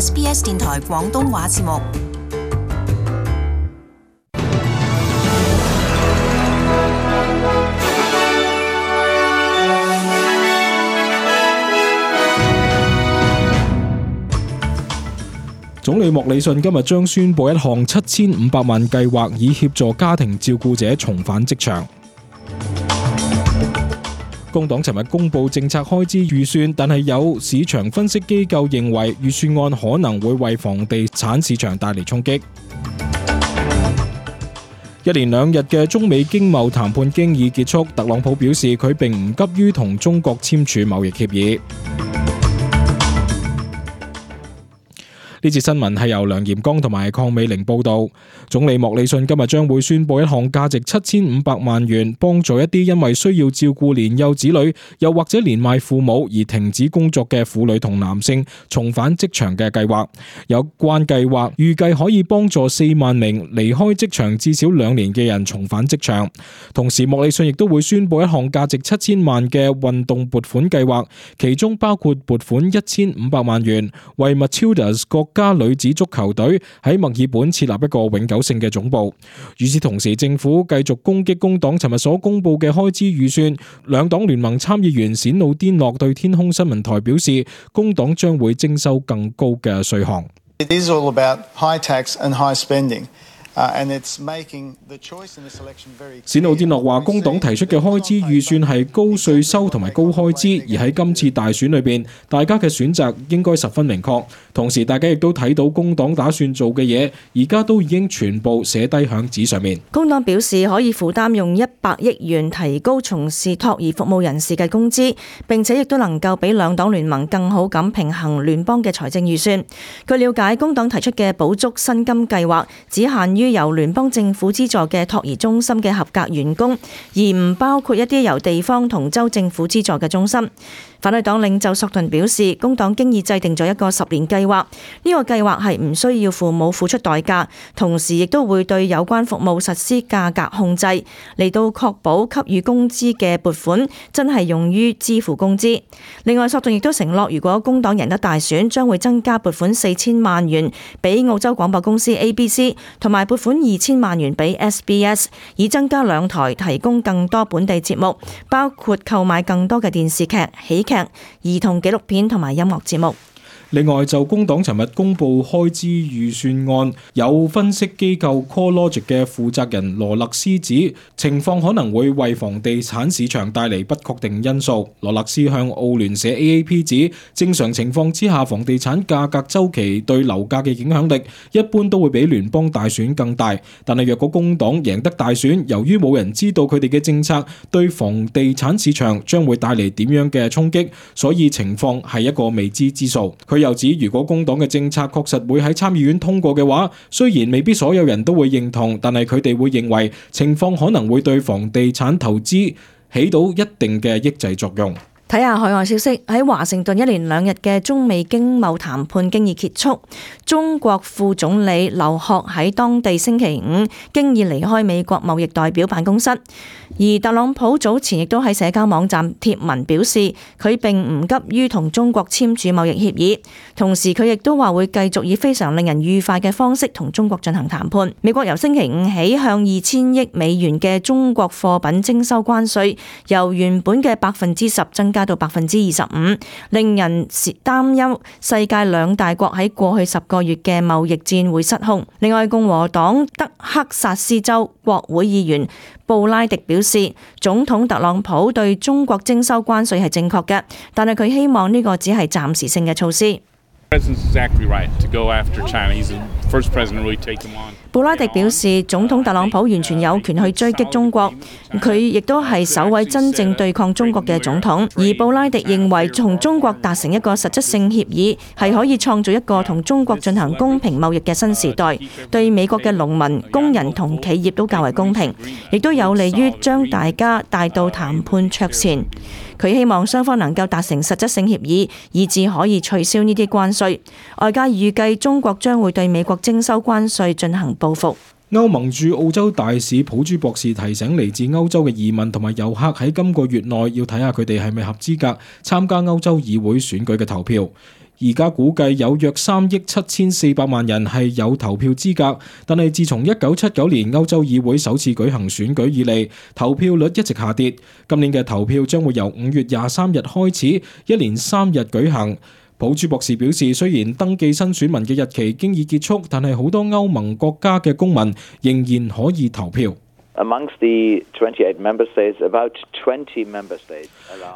SBS 電台廣東話節目。總理莫里遜今日將宣布一項7500萬計劃，以協助家庭照顧者重返職場。工黨尋日公布政策開支預算，但係有市場分析機構認為預算案可能會為房地產市場帶嚟衝擊。一連2日嘅中美經貿談判經已結束，特朗普表示佢並唔急於同中國簽署貿易協議。呢節新聞係由梁炎剛同埋鄺美玲報道。總理莫里遜今日將會宣布一項價值7500萬元，幫助一啲因為需要照顧年幼子女，又或者年邁父母而停止工作嘅婦女同男性重返職場嘅計劃。有關計劃預計可以幫助4萬名離開職場至少2年嘅人重返職場。同時，莫里遜亦都會宣布一項價值7000萬嘅運動撥款計劃，其中包括撥款1500萬元為 Matildas 國家女子足球隊喺墨爾本設立一個永久性嘅總部。與此同時，政府繼續攻擊工黨尋日所公布嘅開支預算。兩黨聯盟參議員冼努甸諾對天空新聞台表示，工黨將會徵收更高嘅稅項。It is all about high tax and high spending. 冼努甸諾話，工黨提出嘅開支預算係高稅收同埋高開支，而喺今次大選裏邊，大家嘅選擇應該十分明確。同時，大家亦都睇到工黨打算做嘅嘢，而家都已經全部寫低響紙上面。工黨表示可以負擔用100億元提高從事托兒服務人士嘅工資，並且亦都能夠比兩黨聯盟更好咁平衡聯邦嘅財政預算。據了解，工黨提出嘅補足薪金計劃只限於由聯邦政府資助嘅托兒中心嘅合格員工，而唔包括一啲由地方同州政府資助嘅中心。反對黨領袖索頓表示，工黨經已制定咗一個10年計劃，呢個計劃係唔需要父母付出代價，同時亦都會對有關服務實施價格控制，嚟到確保給予工資嘅撥款真係用於支付工資。另外，索頓亦都承諾，如果工黨贏得大選，將會增加撥款4000萬元俾澳洲廣播公司 ABC， 同埋撥款2000萬元俾 SBS， 以增加2台提供更多本地節目，包括購買更多嘅電視劇、喜劇、兒童紀錄片同埋音樂節目。另外，就工黨尋日公布開支預算案，有分析機構 CoreLogic 嘅負責人羅勒斯指，情況可能會為房地產市場帶嚟不確定因素。羅勒斯向澳聯社 AAP 指，正常情況之下，房地產價格週期對樓價嘅影響力一般都會比聯邦大選更大。但係若果工黨贏得大選，由於冇人知道佢哋嘅政策對房地產市場將會帶嚟點樣嘅衝擊，所以情況係一個未知之數。佢又指，如果工黨嘅政策確實會喺參議院通過嘅話，雖然未必所有人都會認同，但係佢哋會認為情況可能會對房地產投資起到一定嘅抑制作用。睇下海外消息，喺華盛頓一連2日嘅中美經貿談判經已結束。中國副總理劉鶴喺當地星期5經已離開美國貿易代表辦公室，而特朗普早前亦都喺社交網站貼文表示，佢並唔急於同中國簽署貿易協議，同時佢亦都話會繼續以非常令人愉快嘅方式同中國進行談判。美國由星期5起向2000億美元嘅中國貨品徵收關稅，由原本嘅10%增加到25%，令人擔憂世界2大國喺過去10個月嘅貿易戰會失控。另外，共和黨德克薩斯州國會議員布拉迪表示，總統特朗普對中國徵收關稅係正確嘅，但係佢希望呢個只係暫時性嘅措施。布拉迪表示，總統特朗普完全有權去追擊中國，佢亦都係首位真正對抗中國嘅總統。而布拉迪認為，同中國達成一個實質性協議，係可以創造一個同中國進行公平貿易嘅新時代，對美國嘅農民、工人同企業都較為公平，亦都有利於將大家帶到談判桌前。佢希望雙方能夠達成實質性協議，以致可以取消呢啲關稅。外界預計中國將會對美國徵收關稅進行報復。歐盟駐澳洲大使普朱博士提醒嚟自歐洲嘅移民同埋遊客喺今個月內要睇下佢哋係咪合資格參加歐洲議會選舉嘅投票。而家估計有約3億7400萬人係有投票資格，但係自從1979年歐洲議會首次舉行選舉以嚟，投票率一直下跌。今年嘅投票將會由5月23日開始，一連3日舉行。普朱博士表示，雖然登記新選民嘅日期經已結束，但係好多歐盟國家嘅公民仍然可以投票。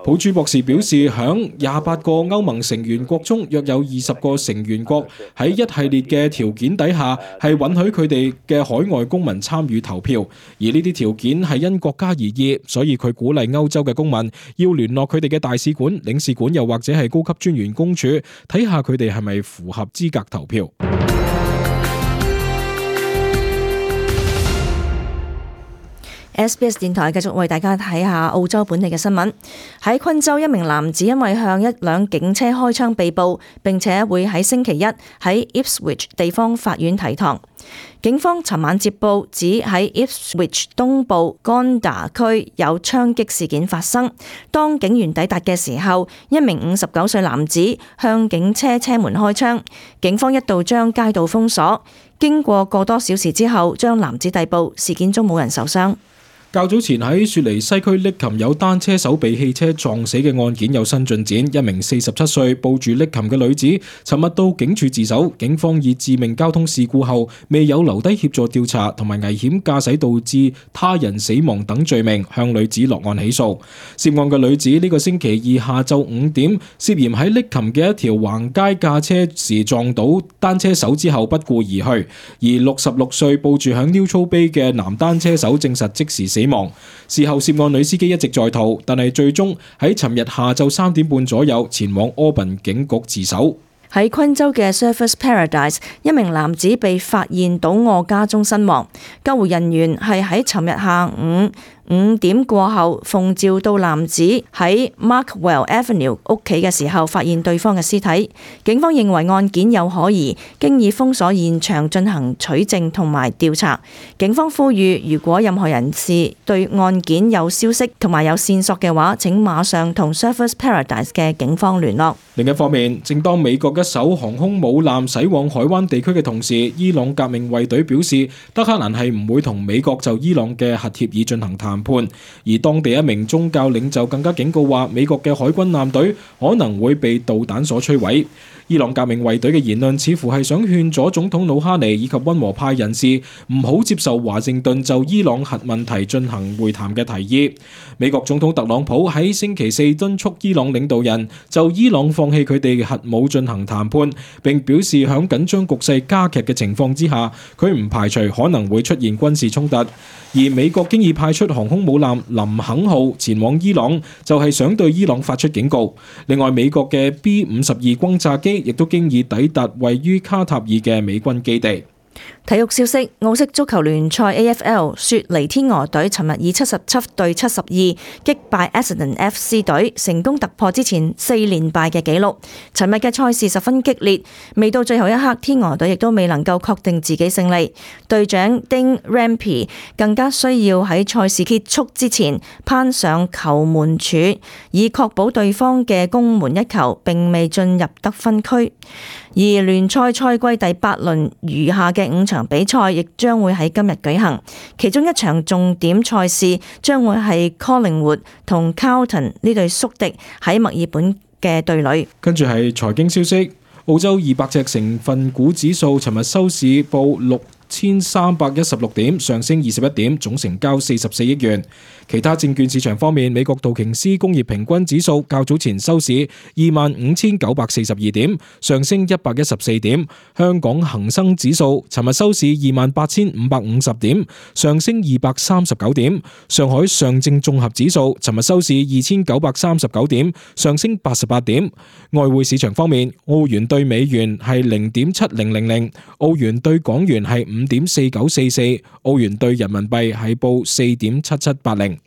普朱博士表示，響28個歐盟成員國中，約有20個成員國喺一系列嘅條件底下，係允許佢哋嘅海外公民參與投票，而呢啲條件係因國家而異，所以佢鼓勵歐洲嘅公民要聯絡佢哋嘅大使館、領事館，又或者係高級專員公署，睇下佢哋係咪符合資格投票。SBS 電台繼續為大家睇下澳洲本地嘅新聞。喺昆州，一名男子因為向一輛警車開槍被捕，並且會喺星期一喺 Ipswich 地方法院提堂。警方尋晚接報指喺 Ipswich 東部干達區有槍擊事件發生。當警員抵達嘅時候，一名59歲男子向警車車門開槍，警方一度將街道封鎖。經過個多小時之後，將男子逮捕。事件中冇人受傷。較早前喺雪梨西區瀝琴有單車手被汽車撞死嘅案件有新進展，一名47歲抱住瀝琴嘅女子尋日到警署自首，警方以致命交通事故後未有留低協助調查同埋危險駕駛導致他人死亡等罪名向女子落案起訴。涉案嘅女子呢個星期二下晝5點涉嫌喺瀝琴嘅一條橫街駕車時撞到單車手之後不顧而去，而66歲抱住響 Neutral Bay 嘅男單車手證實即時死亡。事後涉案女司機一直在逃，但係最終喺尋日下晝3點半左右前往柯賓警局自首。喺昆州嘅 Surfers Paradise， 一名男子被發現倒卧家中身亡。救護人員係喺尋日下午5點過後奉召到男子喺 Markwell Avenue 屋企嘅時候，發現對方嘅屍體。警方認為案件有可疑，經已封鎖現場進行取證同埋調查。警方呼籲，如果任何人士對案件有消息同埋有線索嘅話，請馬上同 Surfers Paradise 嘅警方聯絡。另一方面，正當美國一艘航空母艦駛往海灣地區嘅同時，伊朗革命衛隊表示，德黑蘭係唔會同美國就伊朗嘅核協議進行談判。而當地一名宗教領袖更加警告話，美國嘅海軍艦隊可能會被導彈所摧毀。伊朗革命衛隊嘅言論似乎係想勸阻總統魯哈尼以及溫和派人士唔好接受華盛頓就伊朗核問題進行會談嘅提議。美國總統特朗普喺星期四敦促伊朗領導人就伊朗放棄佢哋嘅核武進行談判，並表示響緊張局勢加劇嘅情況之下，佢唔排除可能會出現軍事衝突。而美國經已派出航空母艦林肯號前往伊朗，就係想對伊朗發出警告。另外，美國嘅 B-52轟炸機亦都經已抵達位於卡塔爾嘅美軍基地。體育消息：澳式足球聯賽 AFL 雪梨天鵝隊尋日以77對72擊敗 Essendon FC 隊，成功突破之前4連敗嘅紀錄。尋日嘅賽事十分激烈，未到最後一刻，天鵝隊亦都未能夠確定自己勝利。隊長丁 Rampy 更加需要喺賽事結束之前攀上球門柱，以確保對方嘅攻門一球並未進入得分區。而聯賽賽季第8輪餘下嘅5場比賽亦將會喺今日舉行，其中一場重點賽事將會係 Collingwood 同 Carlton 呢對宿敵喺墨爾本嘅對壘。跟住係財經消息，澳洲200隻成分股指數尋日收市報6316點，上升21點，總成交44億元。其他證券市場方面，美國道瓊斯工業平均指數較早前收市25,942點，上升114點。香港恒生指數尋日收市28,550點，上升239點。上海上證綜合指數尋日收市2,939點，上升88點。外匯市場方面，澳元對美元係0.7000，澳元對港元係5.4944，澳元對人民幣係報4.7780。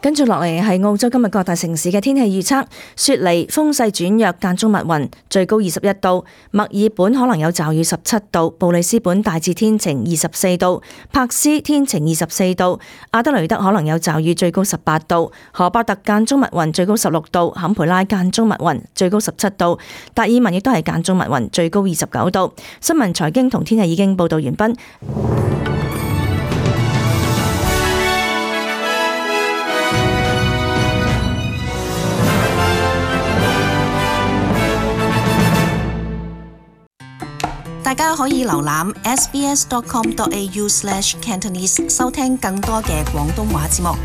跟住落嚟係澳洲今日各大城市嘅天氣預測：雪梨風勢轉弱，間中密雲，最高21度；墨爾本可能有驟雨17度；布里斯本大致天晴24度；柏斯天晴24度；阿德雷德可能有驟雨，最高18度；荷伯特間中密雲，最高16度；坎培拉間中密雲，最高17度；達爾文亦都係間中密雲，最高29度。新聞財經同天氣已經報道完畢。大家可以瀏覽 sbs.com.au/cantonese 收聽更多嘅廣東話節目。